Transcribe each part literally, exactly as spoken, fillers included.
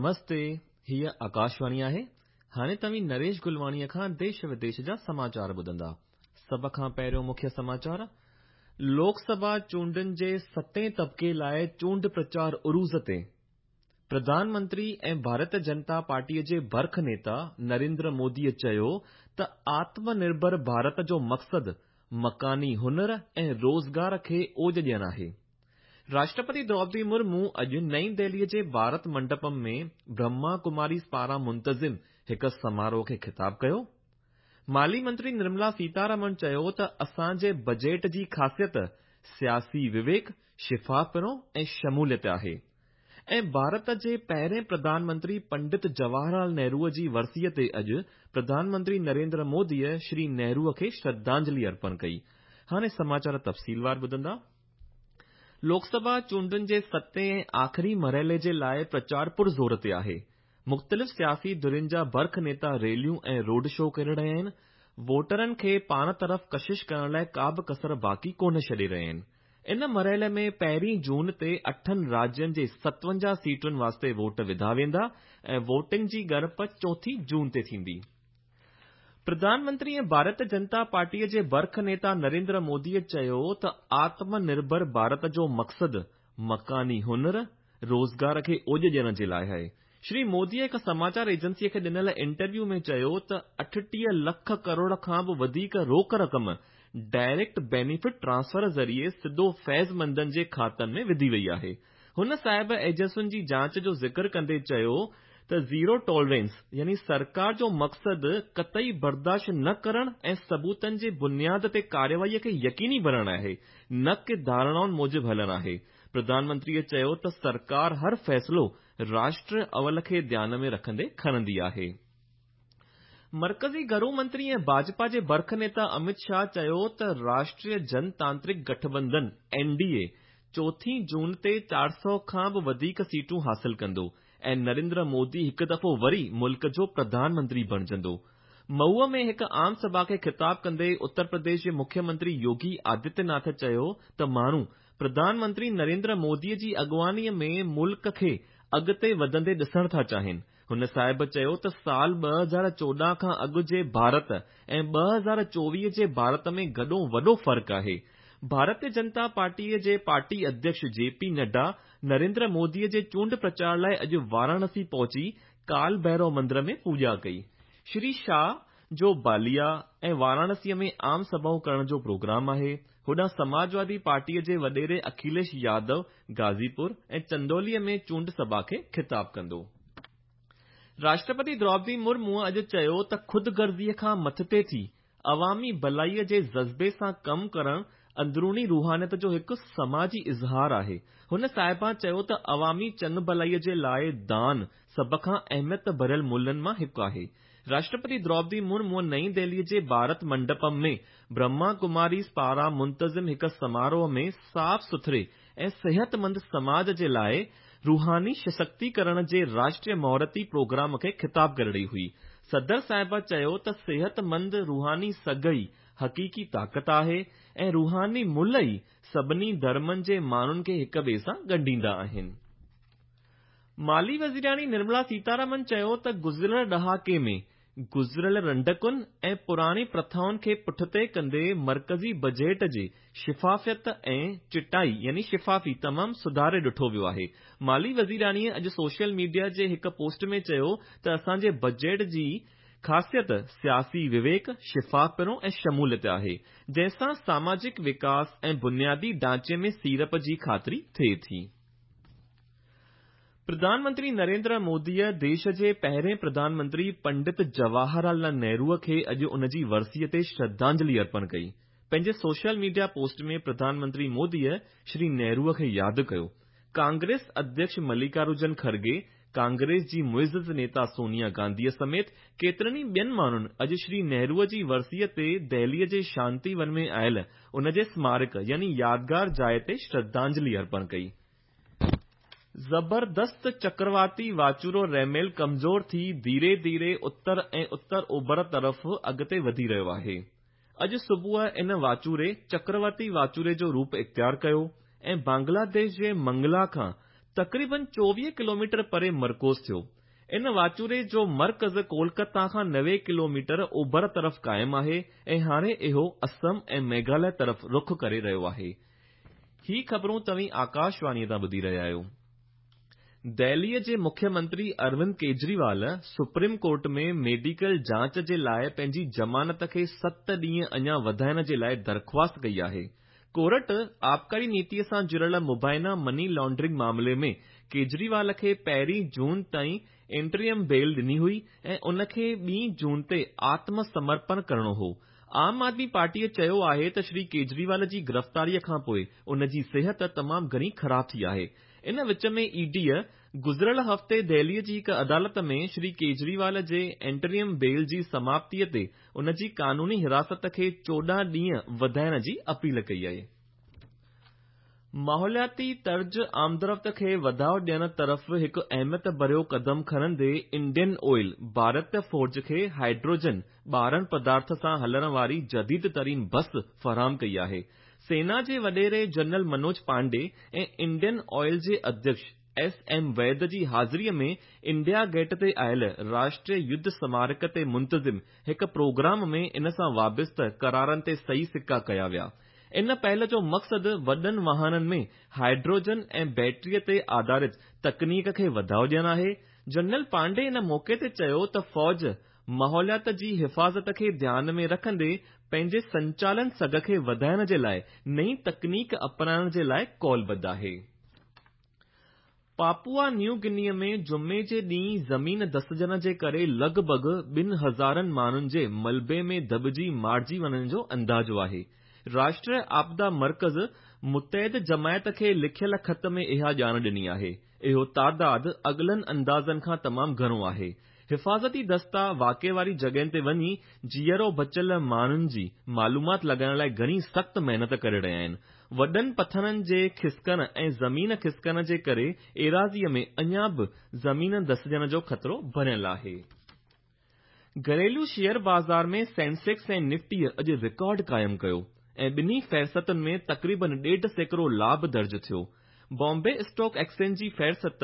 نمستي، هيء آڪاشواڻي آهي. هاڻي توهين نريش گلواڻيء کان ديش وديش جا سماچار ٻڌندا. سڀ کان پهريون مکيه سماچار، لوڪ سڀا چونڊن جي ستين طبقي لاءِ چونڊ پرچار عروج تي. پرڌان منتري ۽ ڀارتيه جنتا پارٽيء جي برک نيتا نريندر موديء چيو ته آتم نرڀر ڀارت جو مقصد مڪاني هنر ۽ روزگار کي اوج ڏيڻ آهي. راشٽرپتي دروپدي مرمو اڄ نئين دهليء جي ڀارت منڊپم ۾ برهما ڪماريز پاران منتظم هڪ سماروهه کي خطاب ڪيو. مالي منتري نرملا سيتارمن چيو ته اسان جي بجيٽ جي خاصيت سياسي وويڪ، شفافپڻو ۽ شموليت آهي. ۽ ڀارت جي پهرين پرڌان منتري پنڊت جواهر لال نهروءَ جي ورسيءَ تي اڄ پرڌان منتري نريندر موديءَ شري نهروءَ کي شرڌانجلي ارپڻ ڪئي. هاڻي سماچار تفصيلوار ٻڌندا. لوڪ سڀا چونڊن جي ستين ۽ آخري مرحلي جي لاءِ پرچار پرزور تي آهي. مختلف سياسي ڌرين جا برک نيتا ريليون ۽ روڊ شو ڪري رهيا آهن. ووٽرن کي پاڻ طرف ڪشش ڪرڻ لاءِ ڪا به ڪسر باقي ڪونه ڇڏي رهيا آهن. ان مرحلي ۾ پهرين جون تي اٺن راجين جي ستونجاهه سيٽن واسطي ووٽ وڌا ويندا ۽ ووٽنگ جي ڳڻپ چوٿين جون تي ٿيندي. پرڌان منتري ۽ ڀارتيه جنتا پارٽيءَ جي برک نيتا نريندر موديءَ چيو ته آتم نرڀر ڀارت جو مقصد مڪاني هنر، روزگار کي اوج ڏيڻ جي لاءِ آهي. شري موديءَ هڪ سماچار ايجنسيءَ کي ڏنل انٽرويو ۾ چيو ته اٺٽيهه لک ڪروڙ کان به وڌيڪ روڪ رقم ڊائريڪٽ بينيفٽ ٽرانسفر ذريعي سڌو فيض مندن جي کاتن ۾ وڌي وئي آهي. هن صاحب ايجنسين جي جاچ جو ذڪر ڪندي چيو ته زيرو ٽالرنس يعني سرڪار جو مقصد قطعي برداشت نه ڪرڻ ۽ ثبوتن جي بنياد تي ڪارروائيءَ کي يقيني بڻائڻ آهي، نه ڪه ڌارڻائن موجب هلڻ آهي. پرڌان منتريءَ چيو ته سرڪار هر فيصلو راشٽر اول کي ڌيان ۾ رکندي کڻندي آهي. مرڪزي گهرو منتري ۽ ڀاجپا جي برک نيتا امت شاهه چيو ته راشٽريه جنتانترڪ گٺبنڌن اين ڊي اي چوٿين جون تي چار سؤ کان به وڌيڪ سيٽون حاصل ڪندو ۽ نريندر مودي هڪ دفعو وري ملڪ جو پرڌان منتري بڻجندو. مئو ۾ هڪ عام سڀا کي خطاب ڪندي اتر پرديش جي مکيه منتري يوگي آدتيه ناٿ چيو ته ماڻهو پرڌان منتري نريندر موديءَ جي اڳواڻيءَ ۾ ملڪ کي اڳتي وڌندي ڏسڻ ٿا چاهين. هن صاحب چيو ته سال ٻه هزار چوڏهن کان اڳ جي ڀارت ۽ ٻه هزار چوويهه جي ڀارت ۾ گڏو وڏو فرق آهي. ڀارتيه جنتا پارٽيءَ جي پارٽي اڌيڪش جي پي نڊا نريندر موديءَ جي چونڊ پرچار لاءِ اڄ واراڻسي پهچي ڪال ڀيرو مندر ۾ پوڄا ڪئي. شري شاهه جو باليا ۽ واراڻسيءَ ۾ عام سڀائون ڪرڻ جو پروگرام آهي. هوڏانهن سماجوادي پارٽيءَ جي وڏيري اکليش يادو غازيپور ۽ چندوليءَ ۾ چونڊ سڀا کي خطاب ڪندو. راشٽرپتي دروپدي مرمو اڄ چيو ته خود غرضيءَ کان مٿتي ٿي عوامي ڀلائيءَ جي جذبي سان ڪم ڪرڻ اندروني روحانيت جو هڪ سماجي اظهار آهي. هن صاحبان چيو ته عوامي چڱ ڀلائيءَ جي لاءِ دان سڀ کان اهميت ڀريل ملين مان هڪ آهي. راشٽرپتي دروپدي مرمو نئين دهليءَ جي ڀارت منڊپم ۾ برهما ڪماريز پاران منتظم هڪ سماروهه ۾ صاف سٿري ۽ صحتمند سماج جي لاءِ روحاني سشڪتيڪرڻ جي راشٽريه مهورتي پروگرام کي خطاب ڪري رهي هئي. صدر صاحب چيو ته صحتمند روحاني سگهه ئي حقيقي طاقت آهي ۽ روحاني ملهه ئي سڀني ڌرمن جي ماڻهن کي هڪ ٻئي سان ڳنڍيندا آهن. مالي وزيراڻي نرملا سيتارمن چيو ته گذريل ڏهاڪي ۾ گذريل رنڊڪن ۽ پراڻي پرٿائن کي پٺتي ڪندي مرڪزي بجيٽ جي شفافيت ۽ چٽائي يعني شفافي تمام سڌاري ڏٺو ويو آهي. مالي وزيراڻيءَ اڄ سوشل ميڊيا جي هڪ پوسٽ ۾ چيو ته اسان جي بجيٽ جي خاصيت سياسي وويڪ، شفافپڻو ۽ شموليت آهي، جنهن سان ساماجڪ وڪاس ۽ بنيادي ڍانچي ۾ سيڙپ جي خاطري ٿئي ٿي. پرڌان منتري نريندر موديءَ ديش جي پهرين پرڌان منتري پنڊت جواهر لال نهروءَ کي اڄ ان جي ورسيءَ تي شرڌانجلي ارپڻ ڪئي. پنهنجي social media post ۾ Pradhan Mantri موديءَ Shri نهروءَ کي ياد ڪيو. ڪانگريس اڌيڪش ملڪارجن کرگي، ڪانگريس جي معزز نيتا سونيا گانڌيءَ سميت ڪيترن ئي ٻين ماڻهن اڄ شري نهروءَ جي ورسيءَ تي دهليءَ جي شانتي ون ۾ آيل ان جي سمارڪ يعني يادگار جاءِ تي شرڌانجلي ارپڻ ڪئي. زبردست چڪرواتي واچوڙو ريميل ڪمزور ٿي ڌيري ڌيري اتر ۽ اتر اوڀر طرف اڳتي وڌي رهيو آهي. اڄ صبح ان واچوڙي چڪرواتي واچوڙي جو روپ اختيار ڪيو ۽ بنگلاديش جي منگلا کان تقريبن چوويهه ڪلوميٽر پري مرڪوز ٿيو. ان واچوڙي جو مرڪز ڪولڪتا کان نوي ڪلوميٽر اوڀر طرف قائم آهي ۽ هاڻي اهو اسم ۽ ميگهاليه طرف رخ ڪري رهيو آهي. هي خبرون توهين آڪاشواڻيء تان ٻڌي رهيا آهيو. دهليء جي مکيه منتري Arvind Kejriwal supreme court ۾ medical جاچ جي لاءِ پنهنجي ضمانت کي ست ڏينهن اڃا وڌائڻ جي لاءِ درخواست ڪئي آهي. ڪورٽ آبڪاري نيتيءَ سان جڙيل مبينا مني لانڊرنگ معاملي ۾ ڪيجريوال کي پهرين جون تائين انٽريم بيل ڏني هئي ۽ ان کي ٻي جون تي آتم سمرپڻ ڪرڻو هو. عام آدمي پارٽيءَ چيو آهي ته شري ڪيجريوال جي گرفتاريءَ کانپوءِ ان جي صحت تمام گهڻي خراب ٿي آهي. ان وچ ۾ اي ڊيءَ گذريل هفتي دهليءَ جي هڪ عدالت ۾ شري ڪيجريوال جي انٽريم بيل جي سماپتيءَ تي ان جي قانوني حراست کي چوڏهن ڏينهن وڌائڻ جي اپيل ڪئي آهي. ماحولياتي طرز آمدرفت کي وڌاءُ ڏيڻ طرف هڪ اهميت ڀريو قدم کڻندي انڊين آئل ڀارت فوج کي هائيڊروجن ٻارڻ پدارٿ سان هلڻ واري جديد ترين بس فراهم ڪئي آهي. سينا جي وڏيري جنرل منوج پانڊي ۽ انڊين آئل جي اڌيڪش ايس ايم ويد جي حاضريءَ ۾ انڊيا گيٽ تي آيل راشٽريه يڌ سمارڪ تي منتظم هڪ پروگرام ۾ ان سان وابسته قرارن تي صحيح سڪا ڪيا ويا. ان پهل جو مقصد وڏن واهنن ۾ هائيڊروجن ۽ بيٽريءَ تي آڌارت تڪنيڪ کي وڌاءُ ڏيڻ آهي. جنرل پانڊي ان موقعي تي چيو ته فوج ماحوليات جي حفاظت کي ڌيان ۾ رکندي پنهنجي سنچالن سگهه کي وڌائڻ جي لاءِ نئين تڪنيڪ اپنائڻ جي لاءِ قولبڌ آهي. پاپوا نيو گنيءَ ۾ جمعي جي ڏينهن زمين دسجڻ جي ڪري لڳ ڀڳ ٻن هزارن ماڻهن جي ملبي ۾ دٻجي مارجي وڃڻ جو اندازو آهي. راشٽريه آپدا مرڪز متحده جماعت کي لکيل خط ۾ اها ڄاڻ ڏني آهي. اهو تعداد اڳلن اندازن کان تمام گهڻو آهي. حفاظتي دستا واقعي واري جڳهين تي وڃي جيئرو بچيل ماڻهن جي معلومات لڳائڻ لاءِ گهڻي سخت محنت ڪري رهيا آهن. وڏن پٿرن جي کسڪڻ ۽ زمين کسڪڻ جي ڪري ايراضيءَ ۾ اڃا به زمين دسجڻ جو خطرو بڻيل آهي. گهريلو شيئر بازار ۾ سينسيڪس ۽ نفٽيءَ اڄ رڪارڊ قائم ڪيو ۽ ٻنهي فهرستن ۾ تقريبن ڏيڍ سيڪڙو لاڀ درج ٿيو. بامبي اسٽاڪ ايڪسچينج جي فهرست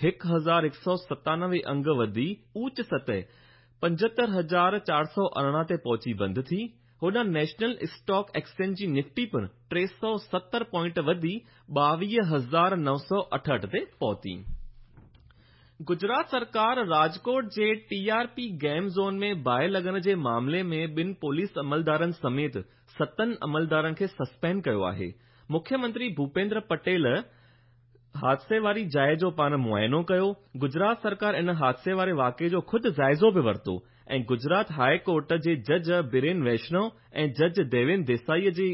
هڪ هزار هڪ سؤ ستانوي انگ وڌي اوچ سطح پنجهتر هزار چار سؤ ارڙهن تي پهچي بند ٿي. هوڏانهن نيشنل اسٽاڪ ايڪسچينج جي نفٽي پڻ ٽي سؤ ستر پوائنٽ وڌي ٻاويهه هزار نو سؤ اٺهٺ تي پهتي. گجرات سرڪار راجڪوٽ جي T R P game zone ۾ باهه لڳڻ جي معاملي ۾ ٻن پوليس عملدارن سميت ستن عملدارن کي سسپينڊ ڪيو آهي. مکيه منتري ڀوپيندر پٽيل حادثي واري جاءِ جو پاڻ معائنو ڪيو. گجرات سرڪار ان حادثي واري واقعي جو خود جائزو به ورتو ۽ گجرات هاءِ ڪورٽ جي جج برين ويشنو ۽ جج ديوين ديسائي جي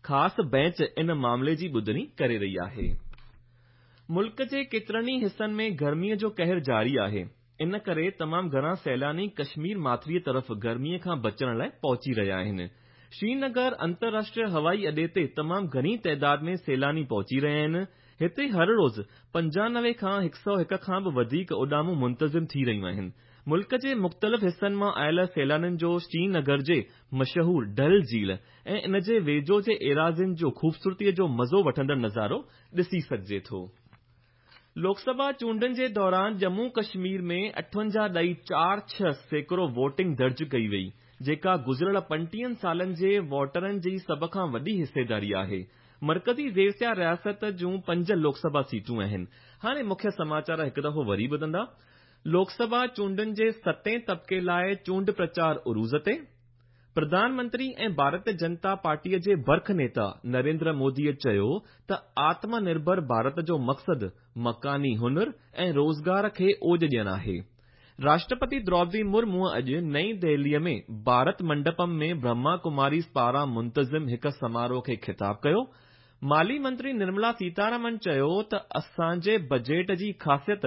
خاص بينچ ان معاملي جي ٻڌڻي ڪري رهي آهي. ملڪ جي ڪيترن ئي حصن ۾ گرميءَ جو قهر جاري آهي. ان ڪري تمام گهڻا سيلاني ڪشمير ماٿريءَ طرف گرميءَ کان بچڻ لاءِ پهچي رهيا آهن. شرينگر انترراشٽريه هوائي اڏي تي تمام گهڻي تعداد ۾ سيلاني پهچي رهيا آهن. هتي هر روز پنجانوي کان هڪ سؤ هڪ کان به وڌيڪ اڏامون منتظم ٿي رهيون آهن. ملڪ جي مختلف حصن مان آيل سيلانين جو شرينگر جي مشهور ڊل جهيل ۽ ان جي ويجهو جي ايراضين جو خوبصورتيءَ جو مزو وٺندڙ نظارو ڏسي سگهجي ٿو. لوڪسڀا چونڊن جي دوران ڄمون ڪشمير ۾ اٺونجاهه ڏهي چار ڇهه سيڪڙو ووٽنگ درج ڪئي وئي، جيڪا گذريل پنٽيهن سالن جي ووٽرن جي سڀ کان وڏي حصيداري آهي. مرڪزي زيرسيا رياست جون پنج لوڪسڀا سيٽون آهن. هاڻي مکيه سماچار هڪ دفعو وري ٻڌندا. لوڪسڀا چونڊن جي ستين طبقي لاءِ چونڊ پرچار عروج تي. پرڌان منتري ۽ ڀارتيه جنتا پارٽيءَ جي برک نيتا نريندر موديءَ چيو ته آتم نرڀر ڀارت جو مقصد مڪاني هنر ۽ روزگار کي اوج ڏيڻ آهي. راشٽرپتي دروپدي مرمو اڄ نئين دهليءَ ۾ ڀارت منڊپم ۾ برهما ڪماريز پاران منتظم هڪ سماروهه کي خطاب ڪيو. مالي منتري نرملا سيتارامن چيو ته اسان جي بجيٽ جي خاصيت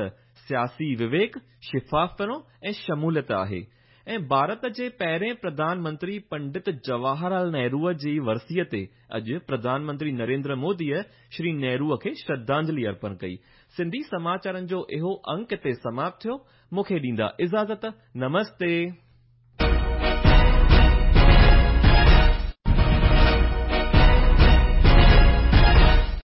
سياسي وويڪ، شفافپڻو ۽ شموليت آهي ۽ ڀارت جي پهرين پرڌان منتري پنڊت جواهر لال نهروءَ جي ورسيءَ تي اڄ پرڌان منتري نريندر موديءَ شري نهروءَ کي شرڌانجلي ارپڻ ڪئي. سنڌي سماچارن جو اهو انڪ هتي سماپت ٿيو. مون کي ڏيندا اجازت. نمستي.